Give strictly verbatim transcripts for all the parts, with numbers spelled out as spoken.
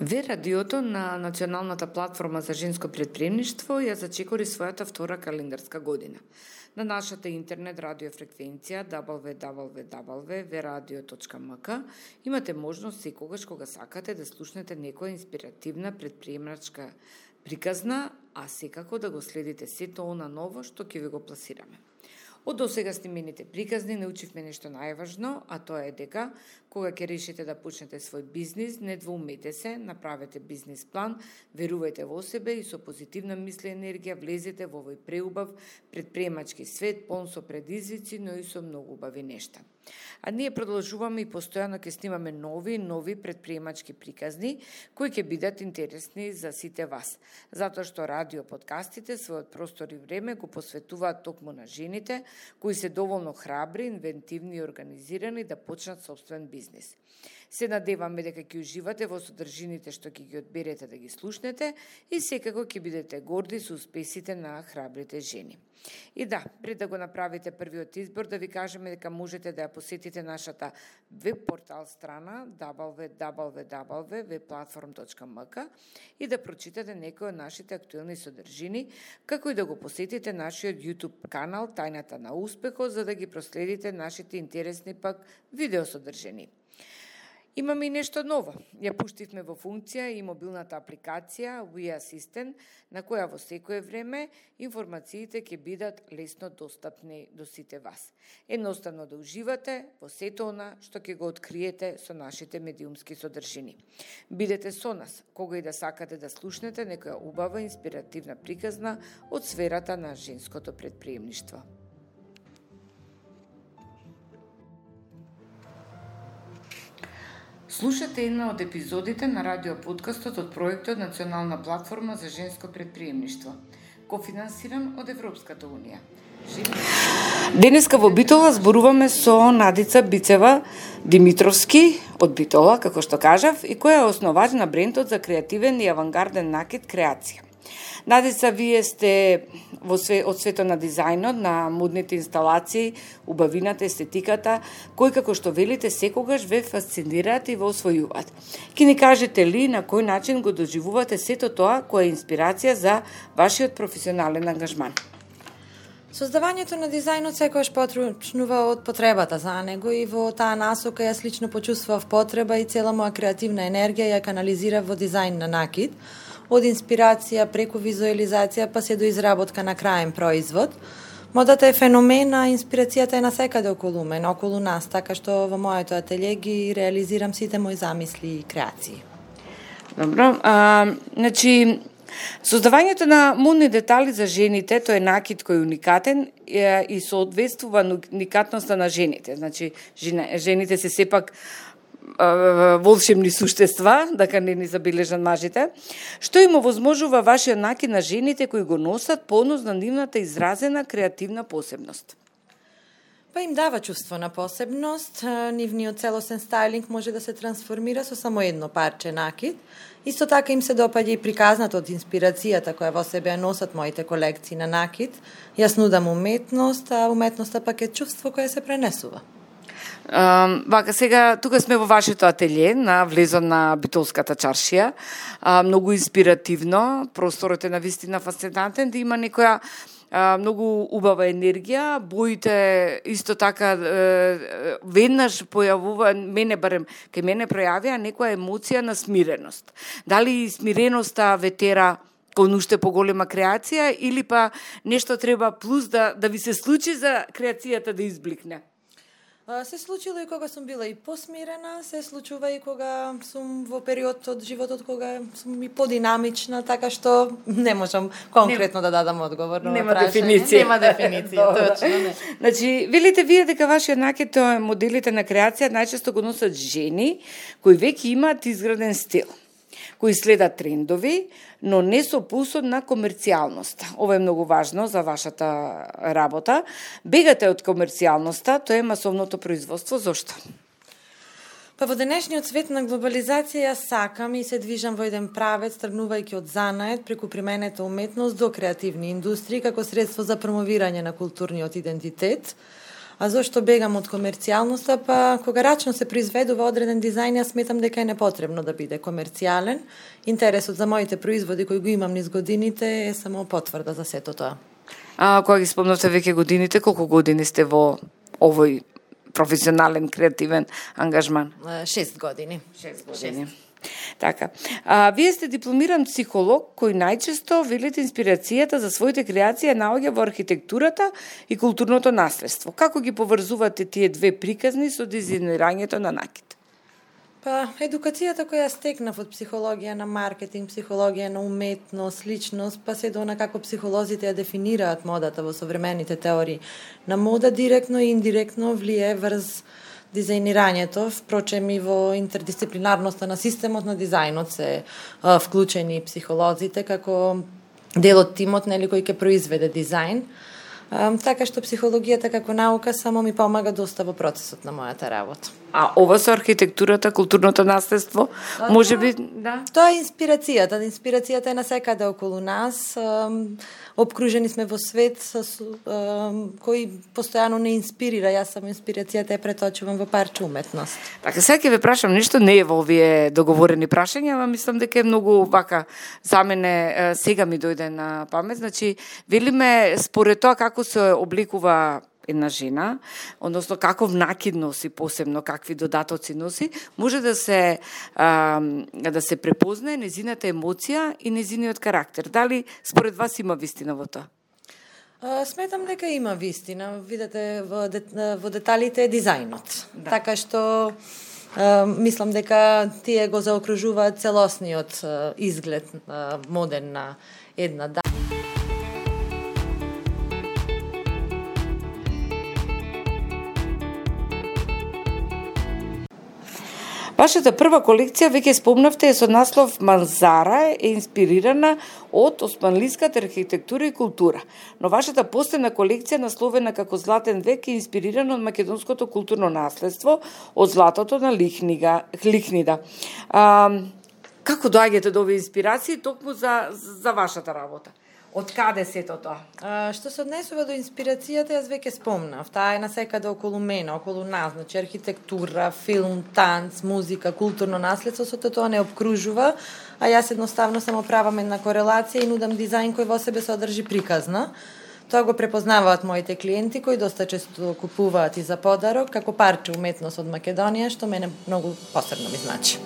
Ве радиото на Националната платформа за женско претприемништво ја зачекори својата втора календарска година. На нашата интернет радиофреквенција дабл ю дабл ю дабл ю точка ве радио точка ем ка имате можност секогаш кога сакате да слушнете некоја инспиративна претприемачка приказна, а секако да го следите сето она ново што ќе ви го пласираме. Од досега снимените приказни научивме нешто најважно, а тоа е дека кога ќе решите да почнете свој бизнис, не двоумете се, направете бизнис план, верувајте во себе и со позитивна мисли енергија влезете во овој преубав претприемачки свет, полн со предизвици, но и со многу убави нешта. А ние продолжуваме и постојано ќе снимаме нови и нови претприемачки приказни кои ќе бидат интересни за сите вас, затоа што радио подкастите својот простор и време го посветуваат токму на жените кои се доволно храбри, инвентивни и организирани да почнат собствен бизнис. Се надеваме дека ќе уживате во содржините што ќе ги одберете да ги слушнете и секако ќе бидете горди со успесите на храбрите жени. И да, пред да го направите првиот избор, да ви кажеме дека можете да ја посетите нашата веб портал страна дабл ю дабл ю дабл ю точка ве платформ точка ем ка и да прочитате некои од нашите актуелни содржини, како и да го посетите нашиот YouTube канал Тајната на успехот, за да ги проследите нашите интересни пак видеосодржини. Имаме и нешто ново. Ја пуштивме во функција и мобилната апликација We Assistant, на која во секое време информациите ќе бидат лесно достапни до сите вас. Едноставно да уживате во сето она што ќе го откриете со нашите медиумски содржини. Бидете со нас, кога и да сакате да слушнете некоја убава инспиративна приказна од сферата на женското претприемништво. Слушате една од епизодите на радиоподкастот од проектот Национална платформа за женско претприемништво, кофинансиран од Европската унија. Денеска во Битола зборуваме со Надица Бицева Димитровски од Битола, како што кажав, и која е основач на брендот за креативен и авангарден накид Креација. Надица, вие сте во све, од свето на дизајнот, на модните инсталации, убавината, естетиката, кои, како што велите, секогаш ве фасцинираат и ве освојуваат. Ке ни кажете ли на кој начин го доживувате сето тоа која е инспирација за вашиот професионален ангажман? Создавањето на дизајнот секогаш почнува од потребата за него и во таа насока ја слично почувствував потреба и цела моја креативна енергија ја канализирав во дизајн на накид, од инспирација преку визуализација па се до изработка на краен производ. Модата е феномен, а инспирацијата е насекаде околу мене, околу нас, така што во моето ателје ги реализирам сите мои замисли и креации. Добро, а, значи, создавањето на модни детали за жените, тој е накид кој е уникатен и соодветствува уникатноста на жените. Значи, жените се сепак волшебни суштества, дека не ни забележат мажите, што им овозможува вашиот накид на жените кои го носат понос на нивната изразена креативна посебност? Па им дава чувство на посебност, нивниот целосен стајлинг може да се трансформира со само едно парче накид. Исто така им се допаѓа и приказната од инспирацијата која во себе ја носат моите колекции на накид. Јас нудам уметност, а уметноста пак е чувство кое се пренесува. Uh, вака, сега, тука сме во вашето ателје, на влезот на Битолската чаршија. Uh, многу инспиративно, просторот е навистина фасцинантен, да има некоја uh, многу убава енергија, боите исто така uh, веднаш појавува, мене барем, кај мене пројавија некоја емоција на смиреност. Дали смиреноста ве тера кон уште поголема креација или па нешто треба плюс да, да ви се случи за креацијата да избликне? Се случило и кога сум била и посмирена, се случува и кога сум во период од животот кога сум и подинамична, така што не можам конкретно не, да дадам одговор на нема дефиниција. Нема дефиниција, точно не. Значи, велите вие дека вашиот накид моделите на креација најчесто го носат жени кои веќе имаат изграден стил, кои следат трендови, но не со пулсот на комерцијалноста. Ова е многу важно за вашата работа. Бегате од комерцијалноста, тоа е масовното производство. Зошто? Па во денешниот свет на глобализација сакам и се движам во еден правец, тргнувајќи од занает преку применета уметност до креативни индустрии како средство за промовирање на културниот идентитет. А зошто бегам од комерцијалноста? Па кога рачно се произведува одреден дизајн, јас сметам дека е непотребно да биде комерцијален. Интересот за моите производи кои го имам низ годините е само потврда за сето тоа. А кога ги спомнавте веќе годините, колку години сте во овој професионален креативен ангажман? Шест години. Шест години. Шест. Така. А, вие сте дипломиран психолог кој најчесто велите инспирацијата за своите креации наоѓа во архитектурата и културното наследство. Како ги поврзувате тие две приказни со дизајнирањето на накид? Па, едукацијата која стекнав од психологија на маркетинг, психологија на уметност, личност, па се до она како психолозите ја дефинираат модата во современите теории на мода, директно и индиректно влие врз дизајнирањето, впрочем и во интердисциплинарноста на системот на дизајнот се а, вклучени психолозите како дел од тимот нели кој ќе произведе дизајн. А, така што психологијата како наука само ми помага доста во процесот на мојата работа. А ова со архитектурата, културното наследство, може би, да? Тоа е инспирацијата. Инспирацијата е насекаде околу нас. Обкружени сме во свет со, кој постојано не инспирира. Јас само инспирацијата ја преточувам во парче уметност. Така, сега ќе ве прашам нешто, не е во овие договорени прашања, ама мислам дека е многу вака за мене сега ми дојде на памет. Значи, велиме според тоа како се обликува една жена, односно каков накид носи, посебно какви додатоци носи, може да се а, да се препознае незината емоција и незиниот карактер. Дали според вас има вистина во тоа? А, сметам дека има вистина. Видете, во, дет, во деталите е дизајнот. Да. Така што а, мислам дека тие го заокружуваат целосниот а, изглед а, моден на една дама. Вашата прва колекција, веќе спомнавте, е со наслов Манзара, е инспирирана од османлиската архитектура и култура. Но вашата последна колекција, насловена како Златен век, е инспирирана од македонското културно наследство, од златото на Лихнига, Лихнида. А, како доаѓате до овие инспирации токму за, за вашата работа? Од каде сето тоа? А, што се однесува до инспирацијата, јас веќе спомнав. Таа е насекаде околу мене, околу нас, значи архитектура, филм, танц, музика, културно наследство, сето тоа не обкружува, а јас едноставно само правам една корелација и нудам дизајн кој во себе содржи приказна. Тоа го препознаваат моите клиенти кои доста често купуваат и за подарок како парче уметност од Македонија, што мене многу посебно ми значи.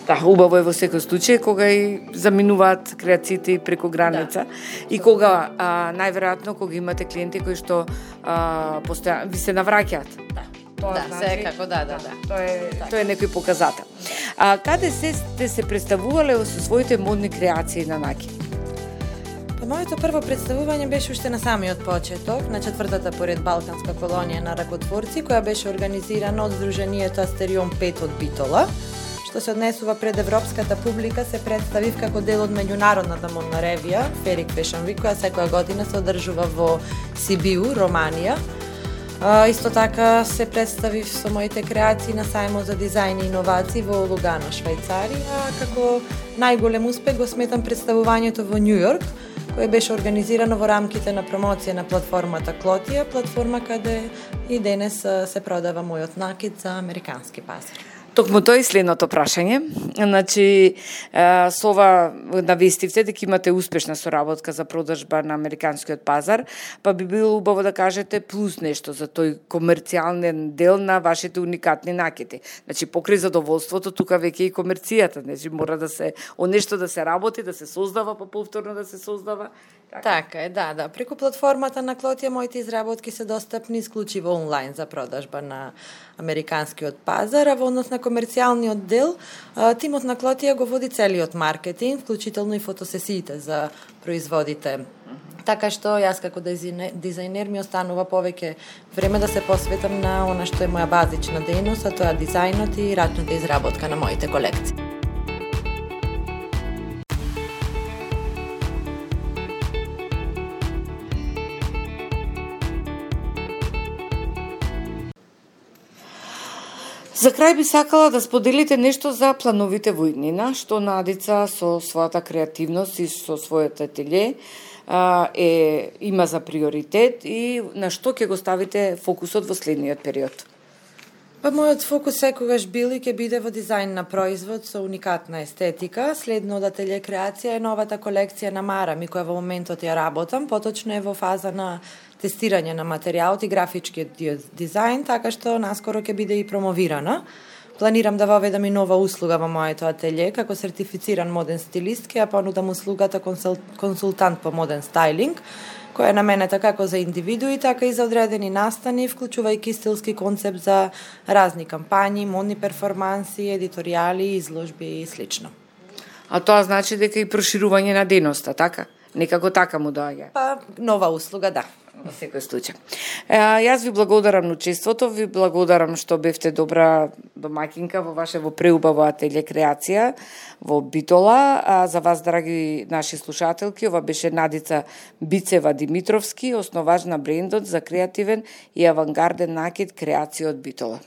Да, убаво е во секој случај кога и заминуваат креациите преку граница, да. И кога а, најверојатно кога имате клиенти кои што а, постојано ви се навраќаат. Да. Тоа да, значи, секако, да, да, да. Тоа е так. Тоа е некој показател. А каде се сте се представувале со своите модни креации на накид? Па моето прво представување беше уште на самиот почеток, на четвртата поред Балканска колонија на ракотворци, која беше организирана од Сдруженијето Астерион пет од Битола. Што се однесува пред европската публика, се представив како дел од меѓународната модна ревија Ферик Fashion Week, која секоја година се одржува во Сибиу, Романија. А, исто така се представив со моите креации на сајмот за дизајн и иновации во Лугано, Швајцарија, како најголем успех го сметам представувањето во Њу Јорк, кое беше организирано во рамките на промоција на платформата Клотија, платформа каде и денес се продава мојот накид за американски пазар. Токму тоа и следното прашање. Значи, со ова навестивте дека имате успешна соработка за продажба на американскиот пазар, па би било убаво да кажете плюс нешто за тој комерцијален дел на вашите уникатни накиди. Значи, покрај задоволството, тука веќе и комерцијата, значи мора да се о нешто да се работи, да се создава, па повторно да се создава. Така, така е, да, да. Преку платформата на Клотија моите изработки се достапни исклучиво онлайн за продажба на американскиот пазар, а во однос на комерцијалниот дел, тимот на Клотија го води целиот маркетинг, вклучително и фотосесиите за производите. Така што јас како дизајнер ми останува повеќе време да се посветам на она што е моја базична дејност, а тоа е дизајнот и рачната изработка на моите колекции. За крај би сакала да споделите нешто за плановите во иднина, што Надица со својата креативност и со својот ателје а, е има за приоритет и на што ќе го ставите фокусот во следниот период? Па мојот фокус секогаш бил и ќе биде во дизајн на производ со уникатна естетика. Следно од Ателје Креација е новата колекција на Марами, која во моментот ја работам, поточно е во фаза на тестирање на материјалот и графичкиот дизајн, така што наскоро ќе биде и промовирана. Планирам да воведам и нова услуга во моето ателје, како сертифициран моден стилист, ќе ја понудам услугата консул... консултант по моден стајлинг, која е наменета како за индивидуи, така и за одредени настани, вклучувајќи стилски концепт за разни кампањи, модни перформанси, едиторијали, изложби и слично. А тоа значи дека и проширување на дејноста, така? Некако така му доаѓа? Па, нова услуга, да. Во секој случај. Е, јас ви благодарам на учеството, ви благодарам што бевте добра домаќинка во ваше во преубаво Ателје Креација во Битола. А за вас, драги наши слушателки, ова беше Надица Бицева Димитровски, основач на брендот за креативен и авангарден накид Креација од Битола.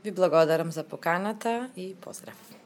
Ви благодарам за поканата и поздрав.